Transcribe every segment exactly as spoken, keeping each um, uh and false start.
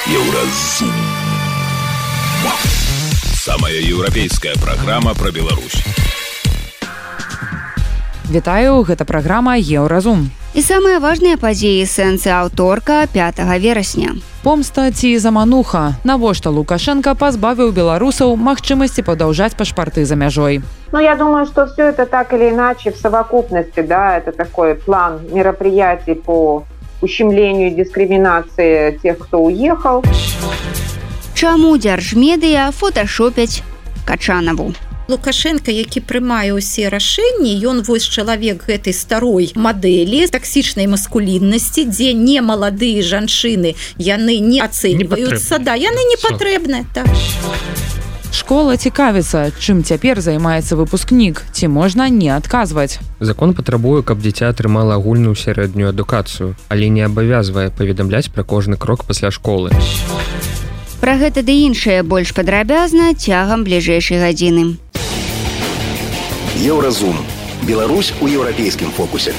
Еўразум. Самая еўрапейская праграма пра Беларусь. Вітаю, гэта праграма Еўразум. І самыя важныя падзеі сэнсы аўторка пятага верасня. Помста ці замануха. Навошта Лукашенко пазбавіў беларусаў магчымасці падаўжаць пашпарты за мяжой? Ну, я думаю, что все это так или иначе в совокупности, да, это такой план мероприятий по ущемлению и дискриминации тех, кто уехал. Чаму дзяржмедыя фоташопяць Качанаву? Лукашенко, які прымае ўсе рашэнні, ён вось чалавек гэтай старой мадэлі таксічнай маскуліннасці, дзе не маладыя жанчыны, яны не ацэньваюцца, да, яны не патрэбныя. Так. Школа цікавіцца, чым цяпер займаецца выпускнік, ці можна не адказваць. Закон патрабуе, каб дзіця атрымала агульную сярэднюю адукацыю, але не абавязвае паведамляць пра кожны крок пасля школы. Пра гэта ды іншае больш падрабязна цягам бліжэйшай гадзіны. Еўразум. Беларусь у еўрапейскім фокусе.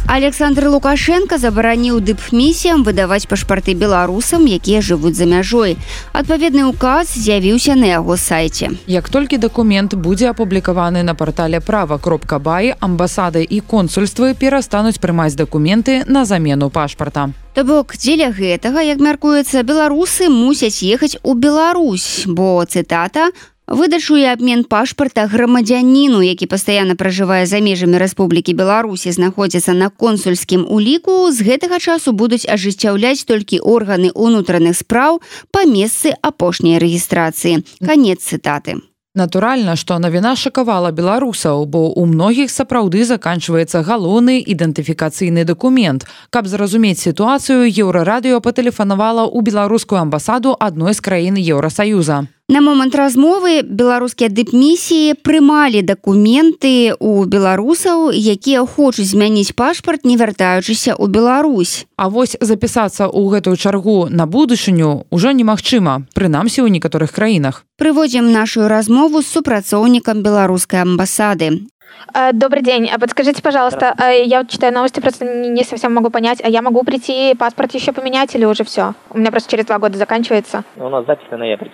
Александр Лукашенко забараніў дыпмісіям выдаваць пашпарты беларусам, якія жывуць за мяжой. Адпаведны ўказ з'явіўся на яго сайце. Як толькі дакумент будзе апублікаваны на партале права кропка бай, амбасады і консульствы перастануць прымаць дакументы на замену пашпарта. То бок, дзеля гэтага, як мяркуецца, беларусы мусяць ехаць у Беларусь, бо, цытата, выдачу і абмен пашпарта грамадзяніну, які пастаянна пражывае за межамі Рэспублікі Беларусі, знаходзіцца на консульскім уліку, з гэтага часу будуць ажыццяўляць толькі органы ўнутраных спраў па месцы апошняй рэгістрацыі. Канец цытаты. Натуральна, што навіна шакавала беларусаў, бо ў многіх сапраўды заканчваецца галоўны ідэнтыфікацыйны дакумент. Каб зразумець сітуацыю, Еўрарадыё патэлефанавала ў беларускую амбасаду адной з краін Еўрасаюза. На момант размовы беларускія дыпмісіі прымалі дакументы ў беларусаў, якія хочуць змяніць пашпарт, не вяртаючыся ў Беларусь. А вось запісацца ў гэтую чаргу на будучыню ўжо немагчыма, прынамсі ў некаторых краінах. Прыводзім нашу размову з супрацоўнікам беларускай амбасады. Добрый день. А подскажите, пожалуйста, я вот читаю новости, просто не совсем могу понять, а я могу прийти паспорт еще поменять или уже все? У меня просто через два года заканчивается. У нас запись на ноябрь.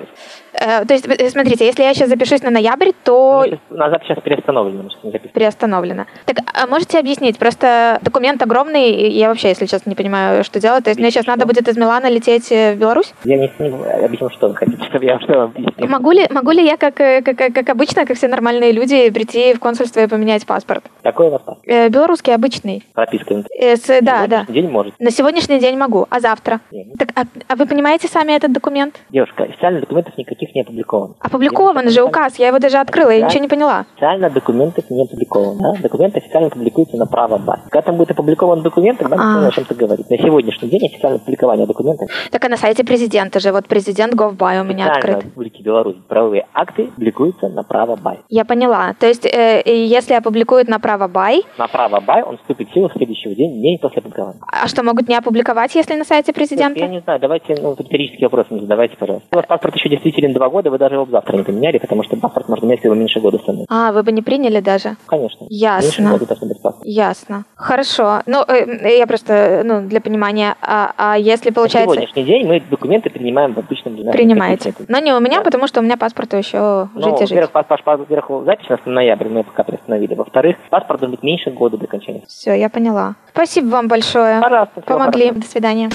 Э, то есть, смотрите, если я сейчас запишусь на ноябрь, то... У нас запись сейчас переустановлена. Переустановлена. Так, а можете объяснить? Просто документ огромный, и я вообще, если честно, не понимаю, что делать. То есть, мне сейчас надо будет из Милана лететь в Беларусь? Я не, не объясню, что вы хотите, чтобы я что вам объяснил. Могу ли, могу ли я, как, как, как обычно, как все нормальные люди, прийти в консульство и поменять паспорт? Какой у вас паспорт? Э, белорусский, обычный. Прописка? Э, с, да, да. День может. На сегодняшний день могу, а завтра? Нет. Так, а, а вы понимаете сами этот документ? Девушка, официальных документов никаких не опубликовано. Опубликован же указ, я его даже открыла, я ничего не поняла. Официально документов не опубликовано. Да? Документы официально публикуются на право бай. Когда там будет опубликован документ, тогда мы можем о чем-то говорить. На сегодняшний день официальное публикование документов. Так, а на сайте президента же, вот президент Gov.by у меня открыт. В Республике Беларусь правовые акты публикуются на право бай. Я поняла. То есть, э, если опубликуют на право бай... На право бай он вступит в силу в следующий день, день после опубликования. А что, могут не опубликовать, если на сайте президента? Я не знаю, давайте, ну, риторические вопросы не задавайте, пожалуйста. У вас паспорт еще действителен два года, вы даже его завтра не поменяли, потому что паспорт можно менять, если его меньше года становится. А, вы бы не приняли даже? Конечно. Ясно. Ясно. Хорошо. Ну, э, я просто, ну, для понимания, а, а если получается... На сегодняшний день мы документы принимаем в обычном... Принимаете. Но не у меня, да. Потому что у меня паспорту еще ну, жить и жить. Во-первых, паспорт, во-первых, запись у нас на ноябрь, мы пока приостановили. Во-вторых, паспорт должен быть меньше года до окончания. Все, я поняла. Спасибо вам большое. Пожалуйста. Помогли. Хорошо. До свидания.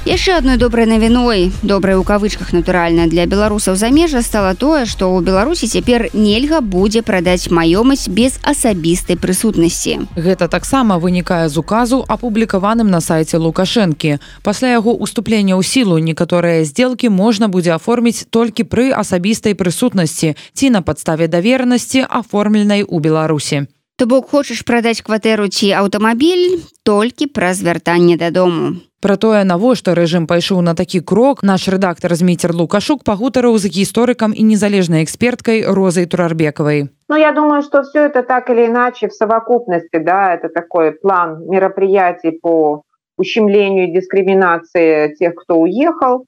Яшчэ адной добрай навіной, добрай у кавычках, натуральна, для беларусаў замежжа стала тое, што ў Беларусі цяпер нельга будзе прадаць маёмасць без асабістай прысутнасці. Гэта таксама вынікае з указу, апублікаваным на сайце Лукашэнкі. Пасля яго уступлення ў сілу некаторыя здзелкі можна будзе аформіць толькі пры асабістай прысутнасці ці на падставе даверанасці, аформленай у Беларусі. То бок хочаш прадаць кватэру ці аўтамабіль толькі праз вяртанне дадому. Пра тое, навошта рэжым пайшоў на такі крок, наш рэдактар Зміцер Лукашук пагутарыў з гісторыкам і незалежнай эксперткай Розай Турарбекавай. Ну, я думаю, что все это так или иначе в совокупности, да, это такой план мероприятий по ущемлению и дискриминации тех, кто уехал,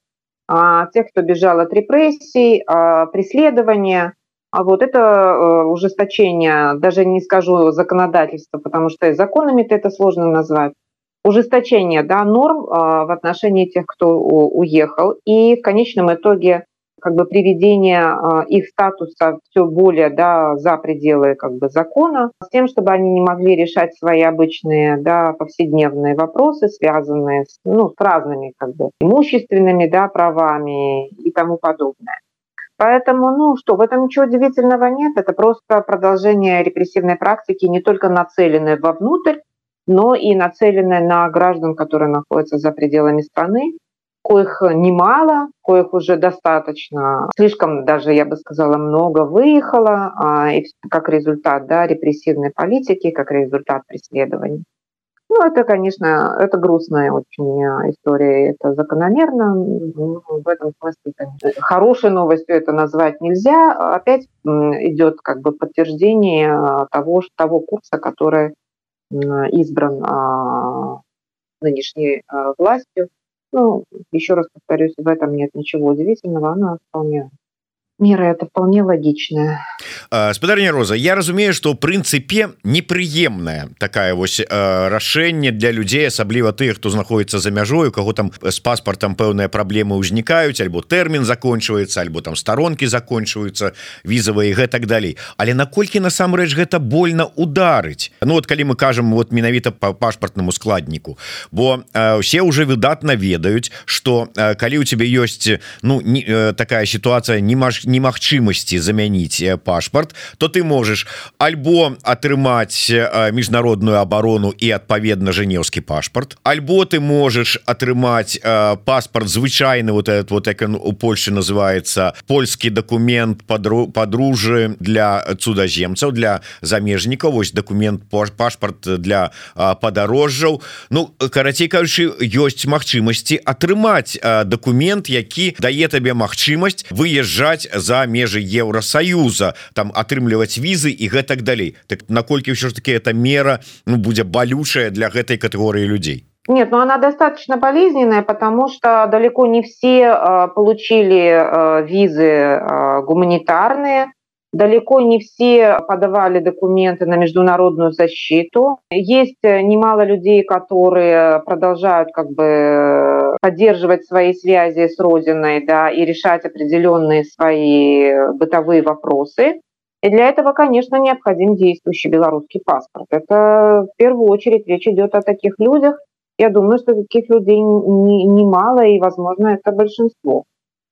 тех, кто бежал от репрессий, преследования. А вот это ужесточение, даже не скажу законодательства, потому что и законами-то это сложно назвать. ужесточение, да, норм в отношении тех, кто уехал, и в конечном итоге как бы приведение их статуса все более, да, за пределы как бы закона, с тем, чтобы они не могли решать свои обычные, да, повседневные вопросы, связанные с, ну, с разными как бы имущественными, да, правами и тому подобное. Поэтому, ну что, в этом ничего удивительного нет, это просто продолжение репрессивной практики, не только нацеленной вовнутрь, но и нацеленной на граждан, которые находятся за пределами страны, коих немало, коих уже достаточно, слишком даже, я бы сказала, много выехало, и как результат, да, репрессивной политики, как результат преследований. Ну, это, конечно, это грустная очень история, это закономерно. Ну, в этом смысле, конечно, хорошей новостью это назвать нельзя. Опять идет как бы подтверждение того, того курса, который избран нынешней властью. Ну, еще раз повторюсь, в этом нет ничего удивительного, она вполне... Мера это вполне логичная. Спадарня Роза, я разумею, что ў прынцыпе непрыемная такая вось рашэнне для людзей, асабліва тых, хто знаходіцца за мяжой, у каго там з паспартам пэўныя праблемы ўзнікаюць, альбо тэрмін закончваецца, альбо там старонкі закончваюцца візавыя і гэтак далей. Але наколькі насамрэч гэта больно ударыць? Ну вот калі мы кажам вот менавіта по пашпартнаму складніку, бо все уже выдатна ведаюць, что калі у тебе ёсць, ну, не, такая ситуация, не маш немагчымасці замяніць пашпарт, то ты можаш альбо атрымаць міжнародную абарону і адпаведна жэнеўскі пашпарт, альбо ты можаш атрымаць паспарт звычайны, вот этот вот, як у Польшы называется, польскі документ падружжы для цудаземцаў, для замежнікаў, вось документ пашпарт для падарожжаў. Ну, карацей кажучы, ёсць магчымасці атрымаць документ, які дае табе магчымасць выязджаць за межы Еўросаюза, там атрымліваць візы і гэтак далей. Так наколькі ўсё ж таки эта мера, ну, будзе балючая для гэтай катэгорыі людзей? Нет, но она достаточно болезненная, потому что далеко не все э, получили э, визы э, гуманитарные, далеко не все подавали документы на международную защиту. Есть немало людей, которые продолжают как бы поддерживать свои связи с Родиной, да, и решать определенные свои бытовые вопросы. И для этого, конечно, необходим действующий белорусский паспорт. Это в первую очередь речь идет о таких людях. Я думаю, что таких людей немало, и, возможно, это большинство.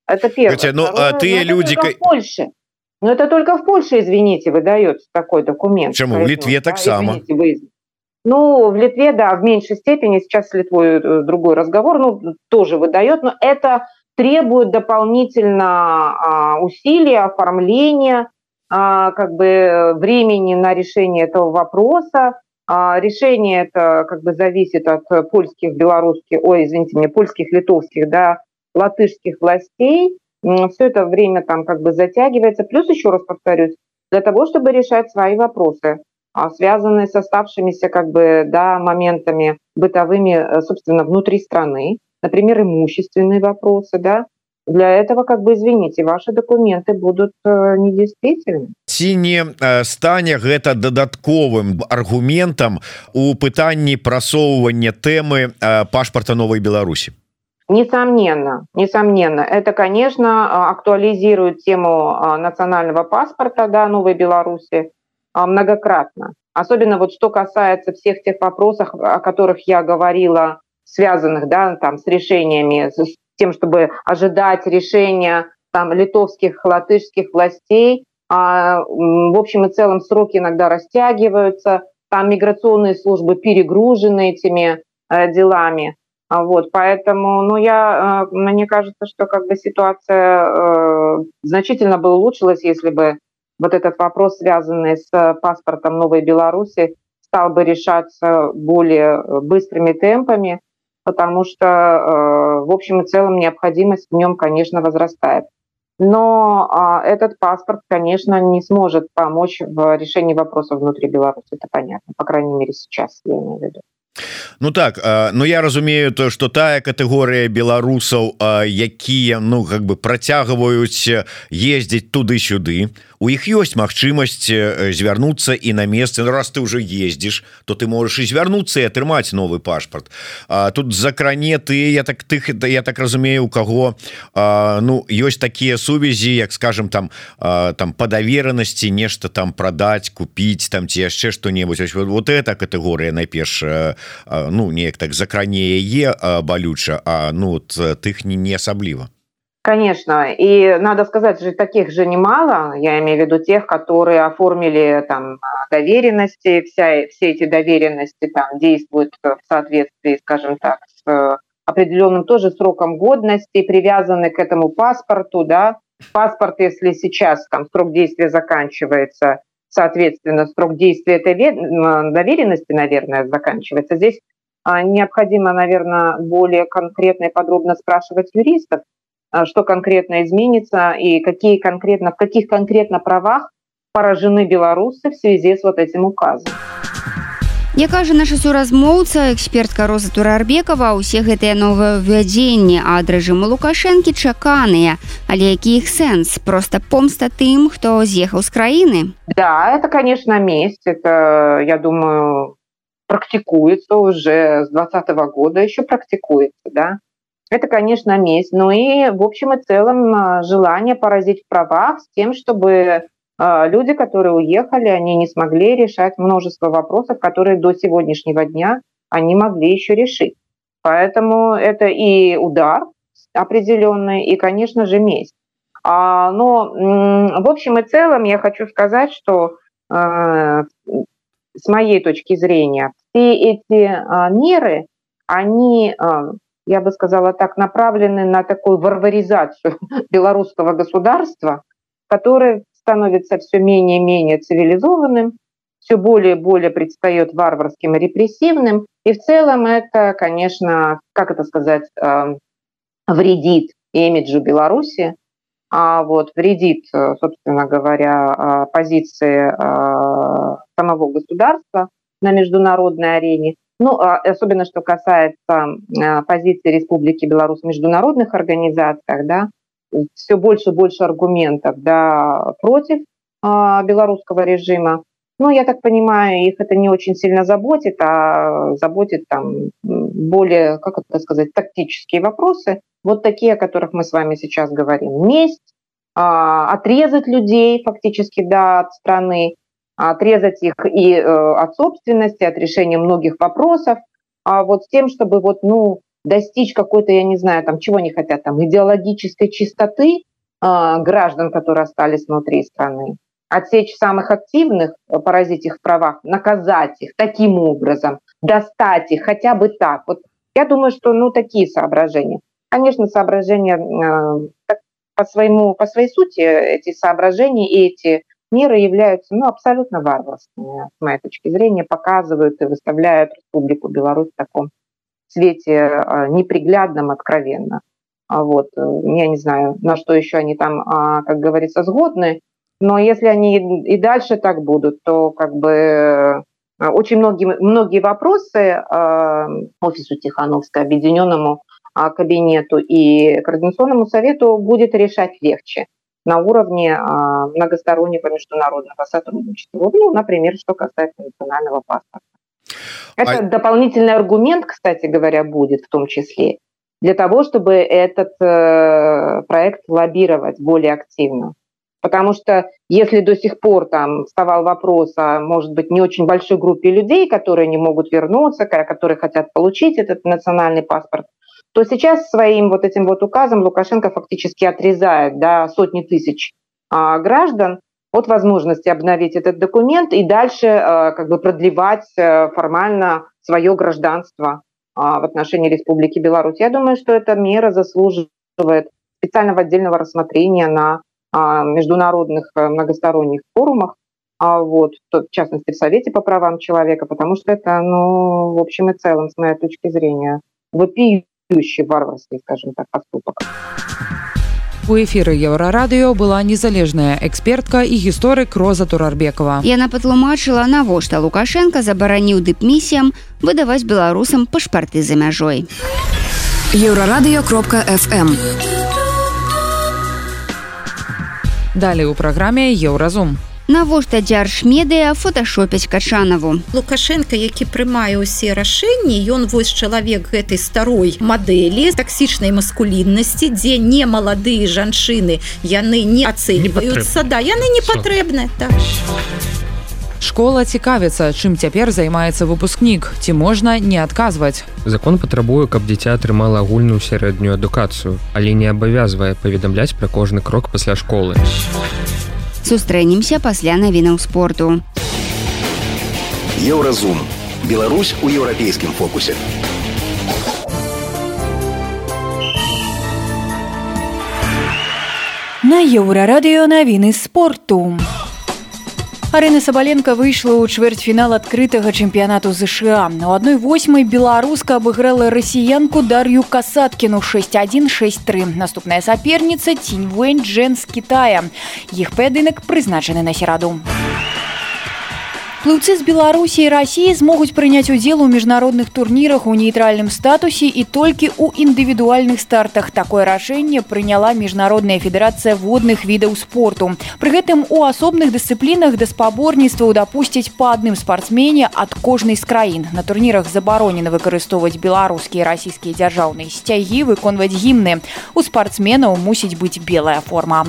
Это первое. Хотя, ну, Второе, а ты люди... в Польше. Но это только в Польше, извините, выдается такой документ. Почему? В Литве так да? само. Извините, вы... Ну, в Литве, да, в меньшей степени. Сейчас с Литвой другой разговор. Ну, тоже выдает, но это требует дополнительно а, усилий, оформления, а, как бы времени на решение этого вопроса. А, решение это как бы зависит от польских, белорусских, ой, извините меня, польских, литовских, да, латышских властей. Все это время там как бы затягивается. Плюс, еще раз повторюсь, для того, чтобы решать свои вопросы, связанные с оставшимися как бы, да, моментами бытовыми, собственно, внутри страны, например, имущественные вопросы, да, для этого, как бы, извините, ваши документы будут недействительны. Ці не стане гэта дадатковым аргументам у пытанні прасоўвання тэмы пашпарта Новой Беларусі? Несомненно, несомненно. Это, конечно, актуализирует тему национального паспорта, да, Новой Беларуси многократно. Особенно вот что касается всех тех вопросов, о которых я говорила, связанных, да, там, с решениями, с тем, чтобы ожидать решения там, литовских, латышских властей. А, в общем и целом сроки иногда растягиваются, там миграционные службы перегружены этими э, делами. Вот, поэтому, ну, я, мне кажется, что как бы ситуация э, значительно бы улучшилась, если бы вот этот вопрос, связанный с паспортом Новой Беларуси, стал бы решаться более быстрыми темпами, потому что, э, в общем и целом, необходимость в нем, конечно, возрастает. Но э, этот паспорт, конечно, не сможет помочь в решении вопросов внутри Беларуси, это понятно, по крайней мере, сейчас, я имею в виду. Ну так, ну я разумею то, что тая катэгорыя беларусаў, якія ну как бы працягваюць ездзіць туды-сюды, у іх ёсць магчымасць звярнуцца і на месцы. Ну, раз ты уже ездзіш, то ты можаш і звярнуцца і атрымаць новы пашпарт. Тут закране ты, я так тых я так разумею, у каго ну ёсць такія сувязі, як скажем там там па даверанасці нешта там прадаць, купіць там ці яшчэ што-небудзь. Вот, вот эта катэгорыя найперш ну неяк так закране яе балюча, а ну вот тых не, не асабліва. Конечно, и надо сказать, что таких же немало, я имею в виду тех, которые оформили там доверенности, вся, все эти доверенности там действуют в соответствии, скажем так, с определенным тоже сроком годности, привязаны к этому паспорту, да. Паспорт, если сейчас там срок действия заканчивается, соответственно, срок действия этой доверенности, наверное, заканчивается. Здесь необходимо, наверное, более конкретно и подробно спрашивать юристов, что конкретно изменится и какие конкретно, в каких конкретно правах поражены белорусы в связи с вот этим указом. Як кажа наша суразмоўца, экспертка Роза Турарбекова, усе гэтыя новаўвядзенні ад рэжыму Лукашэнкі чаканыя. Але які іх сэнс? Просто помста тым, хто з'ехаў з краіны? Да, это, конечно, месть. Это, я думаю, практикуется уже с двадцатого года, еще практикуется, да. Это, конечно, месть. Ну и, в общем и целом, желание поразить в правах с тем, чтобы люди, которые уехали, они не смогли решать множество вопросов, которые до сегодняшнего дня они могли еще решить. Поэтому это и удар определенный, и, конечно же, месть. А, но, в общем и целом, я хочу сказать, что э, с моей точки зрения, все эти э, меры, они, э, я бы сказала так, направлены на такую варваризацию белорусского государства, которое становится все менее и менее цивилизованным, все более и более предстает варварским и репрессивным. И в целом это, конечно, как это сказать, вредит имиджу Беларуси, а вот вредит, собственно говоря, позиции самого государства на международной арене. Ну, особенно что касается позиции Республики Беларусь в международных организациях, да, все больше и больше аргументов, да, против э, белорусского режима. Ну, я так понимаю, их это не очень сильно заботит, а заботит там более, как это сказать, тактические вопросы, вот такие, о которых мы с вами сейчас говорим. Месть, э, отрезать людей фактически, да, от страны, отрезать их и э, от собственности, от решения многих вопросов, а вот с тем, чтобы вот, ну, достичь какой-то, я не знаю, там, чего они хотят, там, идеологической чистоты э, граждан, которые остались внутри страны, отсечь самых активных, поразить их в правах, наказать их таким образом, достать их хотя бы так. Вот я думаю, что, ну, такие соображения. Конечно, соображения э, по своему, по своей сути, эти соображения и эти меры являются, ну, абсолютно варварскими, с моей точки зрения, показывают и выставляют Республику Беларусь в таком свете неприглядном, откровенно. Вот. Я не знаю, на что еще они там, как говорится, сгодны, но если они и дальше так будут, то как бы очень многие, многие вопросы офису Тихановской, объединенному кабинету и Координационному совету будет решать легче на уровне многостороннего международного сотрудничества. Ну, например, что касается национального паспорта. Это а... дополнительный аргумент, кстати говоря, будет в том числе для того, чтобы этот э, проект лоббировать более активно. Потому что если до сих пор там вставал вопрос о, может быть, не очень большой группе людей, которые не могут вернуться, которые хотят получить этот национальный паспорт, то сейчас своим вот этим вот указом Лукашенко фактически отрезает, да, сотни тысяч э, граждан от возможности обновить этот документ и дальше э, как бы продлевать э, формально свое гражданство э, в отношении Республики Беларусь. Я думаю, что эта мера заслуживает специального отдельного рассмотрения на э, международных э, многосторонних форумах, э, вот, в частности в Совете по правам человека, потому что это, ну, в общем и целом, с моей точки зрения, вопиющий варварский, скажем так, поступок. У эфіры Еўрарадыё была незалежная экспертка і гісторык Роза Турарбекова. Яна патлумачыла, навошта Лукашенко забараніў дыпмісіям выдаваць беларусам пашпарты за мяжой. Еўрарадыё кропка эф эм. Далей у праграме Еўразум. Навошта дзяржмедыя фоташопяць Качанаву? Лукашенко, які прымае ўсе рашэнні, ён вось чалавек гэтай старой мадэлі таксічнай маскуліннасці, дзе не маладыя жанчыны, яны не ацэньваюцца, да, яны не патрэбныя. Так. Школа цікавіцца, чым цяпер займаецца выпускнік, ці можна не адказваць. Закон патрабуе, каб дзіця атрымала агульную сярэднюю адукацыю, але не абавязвае паведамляць пра кожны крок пасля школы. Сустрэнемся пасля навінаў спорту. Еўразум. Беларусь у еўрапейскім фокусе. На Еўрарадыё навіны спорту. Арына Сабаленко выйшла ў чвэрцьфінал адкрытага чэмпіянату ЗША. У адной восьмай беларуска абыграла расіянку Дар'ю Касаткіну шэсць адзін шэсць тры. Наступная саперніца Цінь Вэнь Джэн з Кітая. Іх паядынак прызначаны на сераду. Плыўцы з Беларусі і Расіі змогуць прыняць удзел у міжнародных турнірах у нейтральным статусе і толькі ў індывідуальных стартах. Такое рашэнне прыняла Міжнародная федэрацыя водных відаў спорту. Пры гэтым у асобных дысцыплінах да спаборніцтваў дапусцяць па адным спартсмене ад кожнай з краін. На турнірах забаронена выкарыстоўваць беларускія і расійскія дзяржаўныя сцягі, выконваць гімны. У спартсменаў мусіць быць белая форма.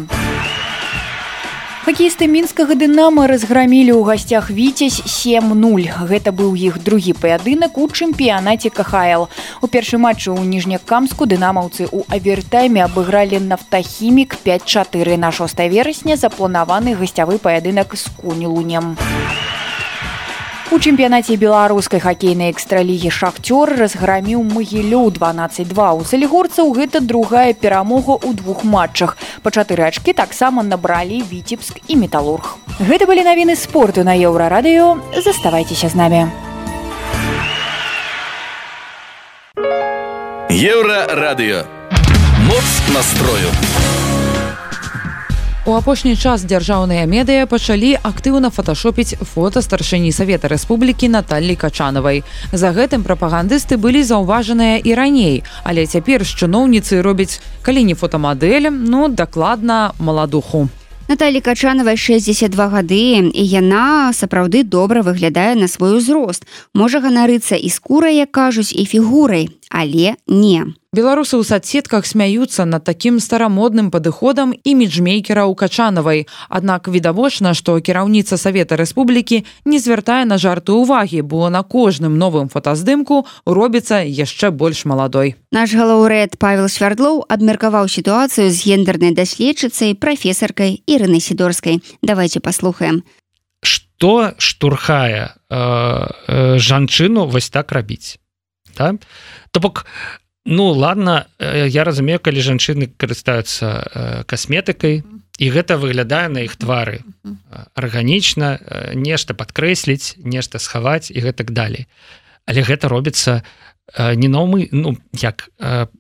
Хакеісты мінскага «Дынама» разграмілі ў гасцях «Віцязь» сем нуль. Гэта быў іх другі паядынак у чэмпіянаце ка ха эл. У першым матчы ў Ніжнякамску дынамаўцы ў авертайме абыгралі «Нафтахімік» пяць чатыры. На шостае верасня запланаваны гасцявы паядынак з «Кунь-Лунем». У чэмпіянаце беларускай хакейнай экстралігі «Шахцёр» разграміў «Магілёў» дванаццаць два. У салігорцаў гэта другая перамога ў двух матчах. Па чатыры ачкі таксама набралі «Віцебск» і «Металург». Гэта былі навіны спорту на Еўрарадыё. Заставайцеся з намі. Еўрарадыё. Моц настрою. У апошні час дзяржаўныя медыя пачалі актыўна фоташопіць фота старшыні Савета Рэспублікі Наталлі Качанавай. За гэтым прапагандысты былі заўважаныя і раней, але цяпер з чыноўніцы робяць, калі не фотамадэль, ну, дакладна, маладуху. Наталлі Качанавай шэсцьдзесят два гады, і яна сапраўды добра выглядае на свой узрост. Можа ганарыцца і скурай, як кажуць, і фігурай, але не. Беларусы ў соцсетках смяюцца над такім старамодным падыходам іміджмейкера ў Качанавай. Аднак відавочна, што кіраўніца Савета Рэспублікі не звяртае на жарты ўвагі, бо на кожным новым фотаздымку робіцца яшчэ больш маладой. Наш галаўрэд Павел Свярдлоў абмеркаваў сітуацыю з гендернай даследчыцай, прафесаркай Ірынай Сідорскай. Давайте паслухаем. Што штурхае э, э, жанчыну вось так рабіць? Да? То бок, ну, ладно, я разумею, калі жанчыны карыстаюцца касметыкай, і гэта выглядае на іх твары арганічна, нешта падкрэсліць, нешта схаваць і гэтак далей. Але гэта робіцца не наўмы, ну, як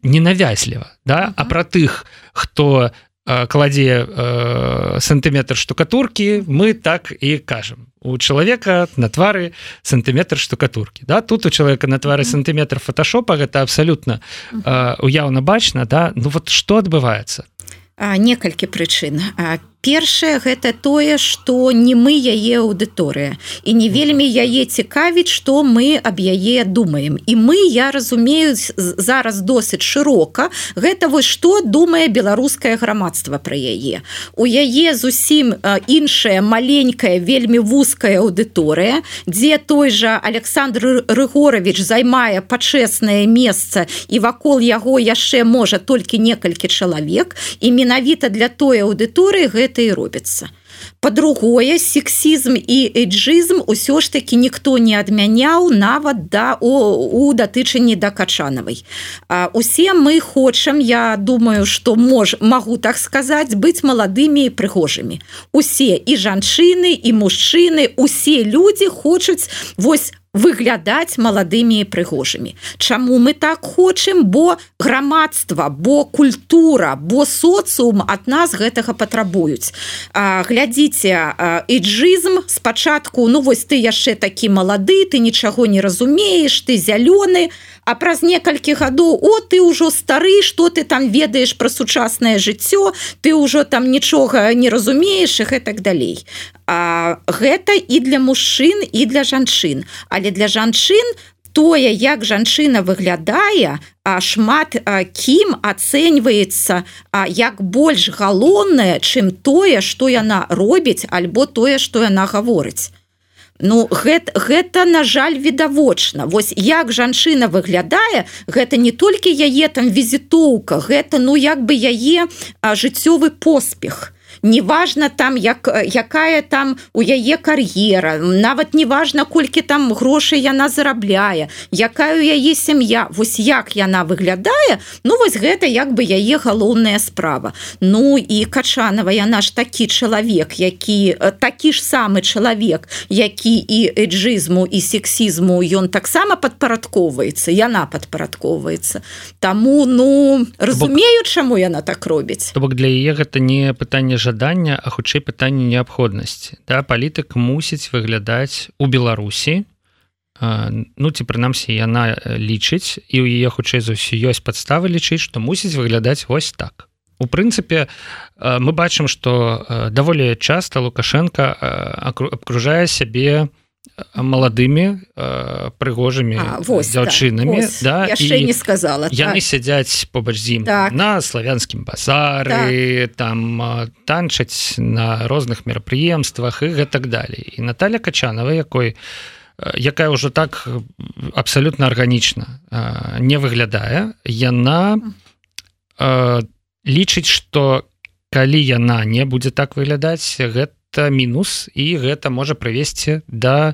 ненавязліва, да? А пра тых, хто кладзе э, сантыметр штукатуркі, мы так і кажам. У чалавека на твары сантыметр штукатуркі. Да? Тут у чалавека на твары сантыметр фоташопа, гэта абсалютна э, уяўна бачна. Да? Ну вот што адбываецца? А, некалькі прычын. А, першае, гэта тое, што не мы яе аўдыторыя. І не вельмі яе цікавіць, што мы аб яе думаем. І мы, я разумею, зараз досыць шырока, гэта вось што думае беларускае грамадства пра яе. У яе зусім іншая, маленькая, вельмі вузкая аўдыторыя, дзе той жа Александр Рыгорович займае пачэснае месца, і вакол яго яшчэ можа толькі некалькі чалавек, і менавіта для той аўдыторыі гэта і робіцца. Па-другое, сексізм і эйджызм усё ж такі ніхто не адмяняў нават да, у, у датычанні да Качанавай. А, усе мы хочам, я думаю, што мож, магу так сказаць, быць маладымі і прыгожымі. Усе, і жанчыны, і мужчыны, усе людзі хочуць вось выглядаць маладымі і прыгожымі. Чаму мы так хочам? Бо грамадства, бо культура, бо социум ад нас гэтага патрабуюць. Глядзіце, эйджызм спачатку, ну вось ты яшчэ такі малады, ты нічаго не разумееш, ты зялёны, а праз некалькі гадоў, о, ты ўжо стары, што ты там ведаеш пра сучаснае жыццё, ты ўжо там нічога не разумееш і гэтак далей. А, гэта і для мужчын, і для жанчын. Але для жанчын тое, як жанчына выглядае, а шмат а, кім ацэньваецца а, як больш галоўнае, чым тое, што яна робіць, альбо тое, што яна гаворыць. Ну, гэта, гэта, на жаль, відавочна. Вось як жанчына выглядае, гэта не толькі яе там візітоўка, гэта, ну, як бы яе а, жыццёвы поспех. Неважна там, як, якая там у яе кар'ера, нават неважна, колькі там грошай яна зарабляе, якая у яе сям'я, вось як яна выглядае, ну вось гэта як бы яе галоўная справа. Ну і Качанова, яна ж такі чалавек, які, такі ж самы чалавек, які і эйджызму, і сексізму, ён таксама падпарадковваецца, яна падпарадковваецца. Таму, ну, разумею, чаму яна так робіць. То бок для яе гэта не пытанне жадання, а хутчэй пытанне неабходнасці. Да, палітык мусіць выглядаць у Беларусі, ну ці прынамсі яна лічыць, і ў яе хутчэй за ўсё ёсць падставы лічыць, што мусіць выглядаць вось так. У прынцыпе, мы бачым, што даволі часта Лукашенко абкружае сябе маладымі прыгожымі дзяўчынамі, да, да, яшчэ не сказала. Яны так. сядзяць побач з ім так. на славянскім базары, так. там танчаць на розных мерапрыемствах і гэтак далей. І Наталья Качанова, якой якая ўжо так абсалютна арганічна не выглядае, яна лічыць, што калі яна не будзе так выглядаць, гэта мінус, і гэта можа прывесці да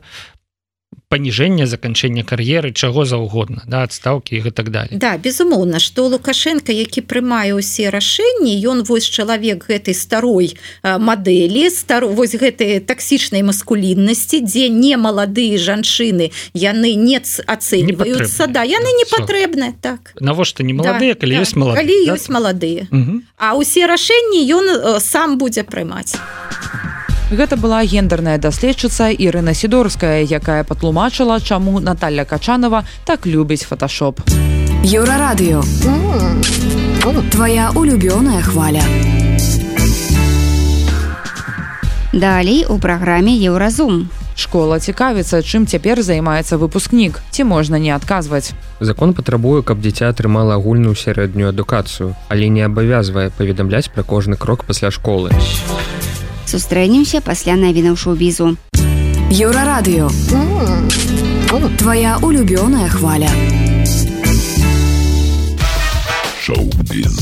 паніжэння, заканчэння кар'еры, чаго заўгодна, да, адстаўкі і гэтак далей. Да, безумоўна, што Лукашенко, які прымае ўсе рашэнні, ён вось чалавек гэтай старой мадэлі, стар... вось гэтай таксічнай маскуліннасці, дзе не маладыя жанчыны, яны не ацэньваюцца, да, яны не патрэбныя, так. Навошта не маладыя, да, калі да, ёсць маладыя? Калі да? ёсць маладыя. Угу. А ўсе рашэнні ён сам будзе прымаць. Гэта была гендерная даследчыца Ірына Сідорская, якая патлумачыла, чаму Наталья Качанова так любіць фоташоп. Еўрарадыё. Твоя улюбёная хваля. Далей у праграме Еўразум. Школа цікавіцца, чым цяпер займаецца выпускнік. Ці можна не адказваць? Закон патрабуе, каб дзіця атрымала агульную сярэднюю адукацыю, але не абавязвае паведамляць пра кожны крок пасля школы. Сустрэнемся пасля навінаў шоу-бізу. Еўрарадыё. Твоя улюбёная хваля. Шоу-біз.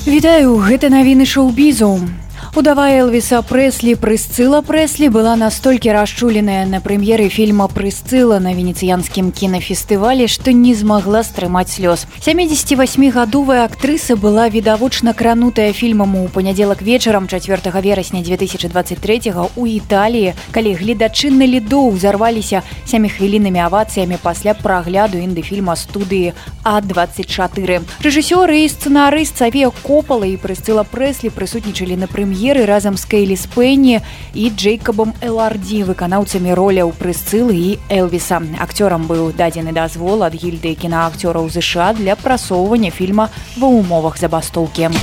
Вітаю, гэта навіны шоу-бізу. Удава Элвіса Прэслі Прысцыла Прэслі была настолькі расчуленая на прэм'еры фільма «Прысцыла» на венецыянскім кінафестывалі, што не змагла стрымаць слёз. сямідзесяцівасьмігадовая актрыса была відавочна кранутая фільмам у панядзелак вечарам чацвёртага верасня дзве тысячы дваццаць трэцяга ў Італіі, калі гледачы на лідо ўзарваліся сяміхвіліннымі авацыямі пасля прагляду інды-фільма студыі А дваццаць чатыры. Рэжысёры і сцэнарыст Савія Копала і Прысцыла Прэслі прысутнічалі на прэм'еры разам з Кейлі Спэнні і Джейкабом Эларді, выканаўцамі роляў Прысцылы і Элвіса. Акцёрам быў дадзены дазвол ад гільдыі кінаакцёраў ЗША для прасоўвання фільма ва ўмовах забастоўкі.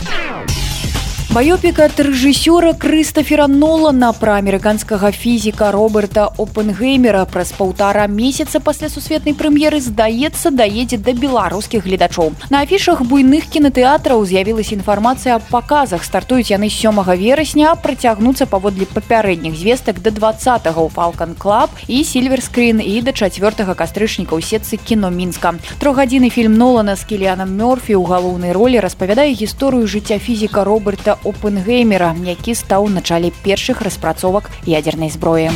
Байопік ад рэжысёра Крыстафера Нолана пра амерыканскага фізіка Роберта Опенгеймера праз паўтара месяца пасля сусветнай прэм'еры, здаецца, даедзе да беларускіх гледачоў. На афішах буйных кінатэатраў з'явілася інфармацыя аб паказах. Стартуюць яны сёмага верасня, а працягнуцца паводле папярэдніх звестак да дваццатага ў Falcon Club і Silver Screen і да чацвёртага кастрычніка ў сетцы кіно Мінска. Трохгадзінны фільм Нолана з Кіліанам Мёрфі ў галоўнай ролі распавядае гісторыю жыцця фізіка Роберта Опенгеймера, які стаў у начале першых распрацовак ядзернай зброі.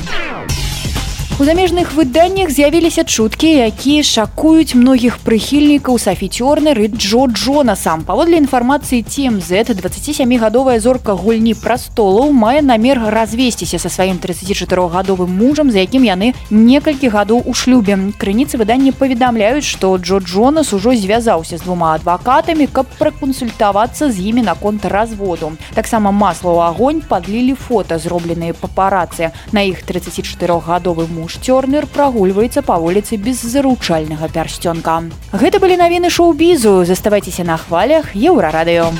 У замежных выданнях з'явіліся чуткі, якія шакуюць многіх прыхільнікаў Сафі Тёрнер і Джо Джонаса. Паводле інфармацыі Ти Эм Зет, дваццацісямігадовая зорка гульні прастолаў мае намер развесціся са сваім трыццацічатырохгадовым мужам, за якім яны некалькі гадоў у шлюбе. Крыніцы выдання паведамляюць, што Джо Джонас ужо звязаўся з двума адвакатамі, каб пракансультавацца з імі наконт разводу. Таксама масла ў агонь падлілі фота, зробленыя папарацы. На іх трыццацічатырохгадовы муж Муж Тёрнер прагульваецца па вуліцы без заручальнага пярсцёнка. Гэта былі навіны шоу-бізу. Заставайцеся на хвалях Еўрарадыё.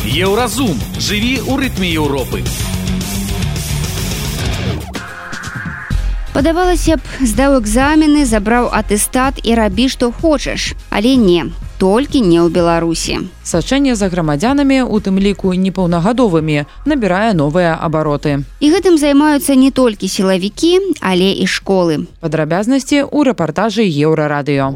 Еўразум. Жыві ў рытме Еўропы. Падавалася б, здаў экзамены, забраў атэстат і рабі, што хочаш. Але не. Толькі не ў Беларусі. Сачэнне за грамадзянамі, у тым ліку непаўнагадовымі, набірае новыя абароты. І гэтым займаюцца не толькі сілавікі, але і школы. Падрабязнасці ў рэпартажы Еўрарадыё.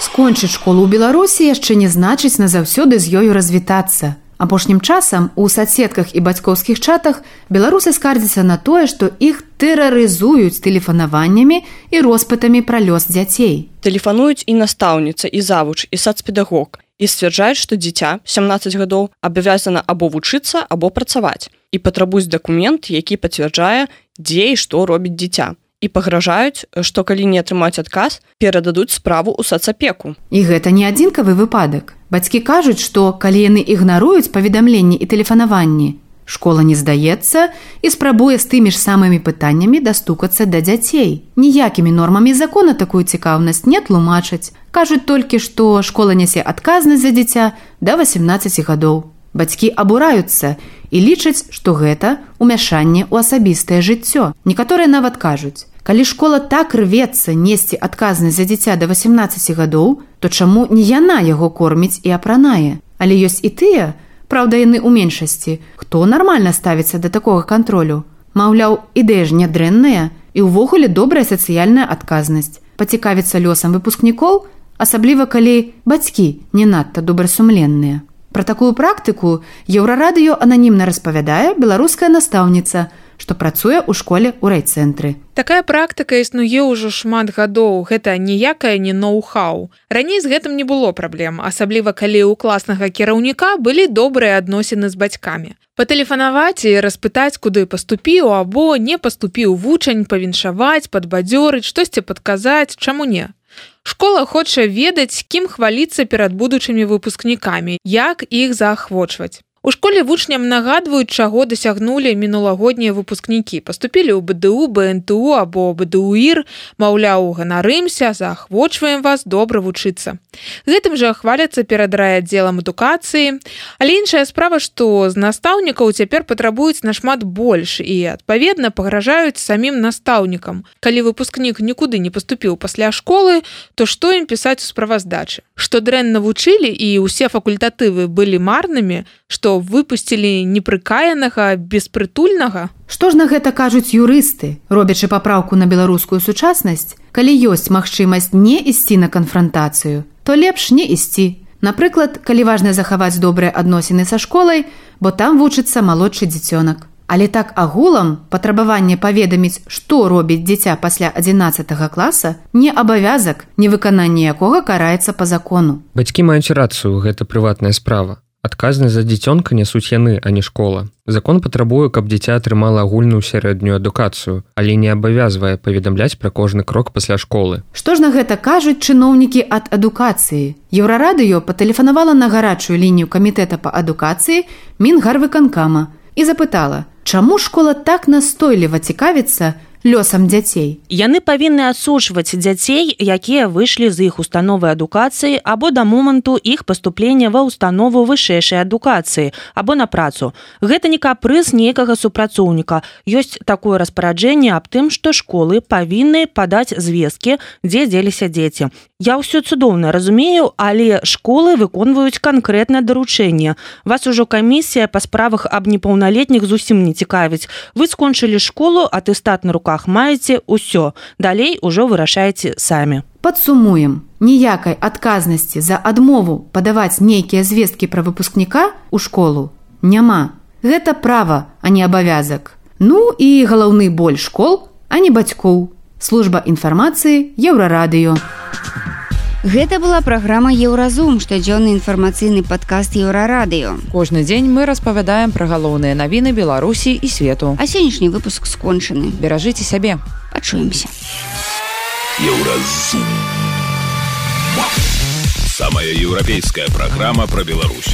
Скончыць школу ў Беларусі яшчэ не значыць назаўсёды з ёю развітацца. Апошнім часам у садсетках і бацькоўскіх чатах беларусы скардзяцца на тое, што іх тэрарызуюць тэлефанаваннямі і роспытамі пра лёс дзяцей. Тэлефануюць і настаўніца, і завуч, і сацпедагог, і сцвярджаюць, што дзіця сямнаццаць гадоў абавязана або вучыцца, або працаваць, і патрабуюць дакумент, які пацвярджае, дзе і што робіць дзіця. І пагражаюць, што калі не атрымаць адказ, перададуць справу ў сацапеку. І гэта не адзінкавы выпадак. Бацькі кажуць, што калі яны ігнаруюць паведамленні і тэлефанаванні, школа не здаецца і спрабуе з тымі ж самымі пытаннямі дастукацца да дзяцей. Ніякімі нормамі закона такую цікаўнасць не тлумачаць. Кажуць толькі, што школа нясе адказнасць за дзіця да васемнаццаці гадоў. Бацькі абураюцца і лічаць, што гэта ўмяшанне ў асабістае жыццё. Некаторыя нават кажуць, калі школа так рвецца несці адказнасць за дзіця да васемнаццаці гадоў, то чаму не яна яго корміць і апранае? Але ёсць і тыя, праўда яны ў меншасці, хто нармальна ставіцца да такога кантролю. Маўляў, ідэя ж нядрэнная і ўвогуле добрая сацыяльная адказнасць. Пацікавіцца лёсам выпускнікоў, асабліва калі бацькі не надта добрасумленныя. Пра такую практыку Еўрарадыё ананімна распавядае беларуская настаўніца, што працуе ў школе ў райцэнтры. Такая практыка існуе ўжо шмат гадоў. Гэта ніякае не ноу-хау. Раней з гэтым не было праблем, асабліва калі ў класнага кіраўніка былі добрыя адносіны з бацькамі. Патэлефанаваць і распытаць, куды паступіў або не паступіў вучань, павіншаваць, падбадзёрыць, штосьці падказаць, чаму не? Школа хоча ведаць, кім хваліцца перад будучымі выпускнікамі, як іх заахвочваць. У школе вучням нагадваюць, чаго дасягнулі мінулагоднія выпускнікі. Паступілі ў бэ дэ у, бэ эн тэ у або бэ дэ у ір, маўляў, ганарымся, заахвочваем вас добра вучыцца. Гэтым жа хваляцца перад райаддзелам адукацыі. Але іншая справа, што з настаўнікаў цяпер патрабуюць нашмат больш і, адпаведна, пагражаюць самім настаўнікам. Калі выпускнік нікуды не паступіў пасля школы, то што ім пісаць у справаздачы? Што дрэнна вучылі і ўсе факультатывы былі марнымі, што выпусцілі непрыкаянага, беспрытульнага? Што ж на гэта кажуць юрысты, робячы папраўку на беларускую сучаснасць? Калі ёсць магчымасць не ісці на канфрантацыю, то лепш не ісці. Напрыклад, калі важна захаваць добрыя адносіны са школай, бо там вучыцца малодшы дзіцёнак. Але так агулам патрабаванне паведаміць, што робіць дзіця пасля адзінаццатага класа, не абавязак, невыкананне якога караецца па закону. Бацькі маюць рацыю, гэта прыватная справа. Адказнасць за дзіцёнка нясуць яны, а не школа. Закон патрабуе, каб дзіця атрымала агульную сярэднюю адукацыю, але не абавязвае паведамляць пра кожны крок пасля школы. Што ж на гэта кажуць чыноўнікі ад адукацыі? Еўрарадыё патэлефанавала на гарачую лінію камітэта па адукацыі Мінгарвыканкама і запытала, чаму школа так настойліва цікавіцца лёсам дзяцей. Яны павінны адсочваць дзяцей, якія выйшлі з іх установы адукацыі або да моманту іх паступлення ва установу вышэйшай адукацыі або на працу. Гэта не капрыз нейкага супрацоўніка. Ёсць такое распараджэнне аб тым, што школы павінны падаць звесткі, дзе дзеліся дзеці. Я ўсё цудоўна разумею, але школы выконваюць канкрэтнае даручэнне. Вас ужо камісія па справах аб непаўналетніх зусім не цікавіць. Вы скончылі школу, атэстат на руках руках маеце ўсё. Далей ужо вырашаеце самі. Падсумуем. Ніякай адказнасці за адмову падаваць нейкія звесткі пра выпускніка ў школу няма. Гэта права, а не абавязак. Ну і галаўны боль школ, а не бацькоў. Служба інфармацыі Еўрарадыё. Гэта была праграма Еўразум, штодзённы інфармацыйны падкаст Еўрарадыё. Кожны дзень мы распавядаем пра галоўныя навіны Беларусі і свету. А сённяшні выпуск скончаны. Беражыце сябе. Пачуемся. Еўразум. Самая еўрапейская программа про Беларусь.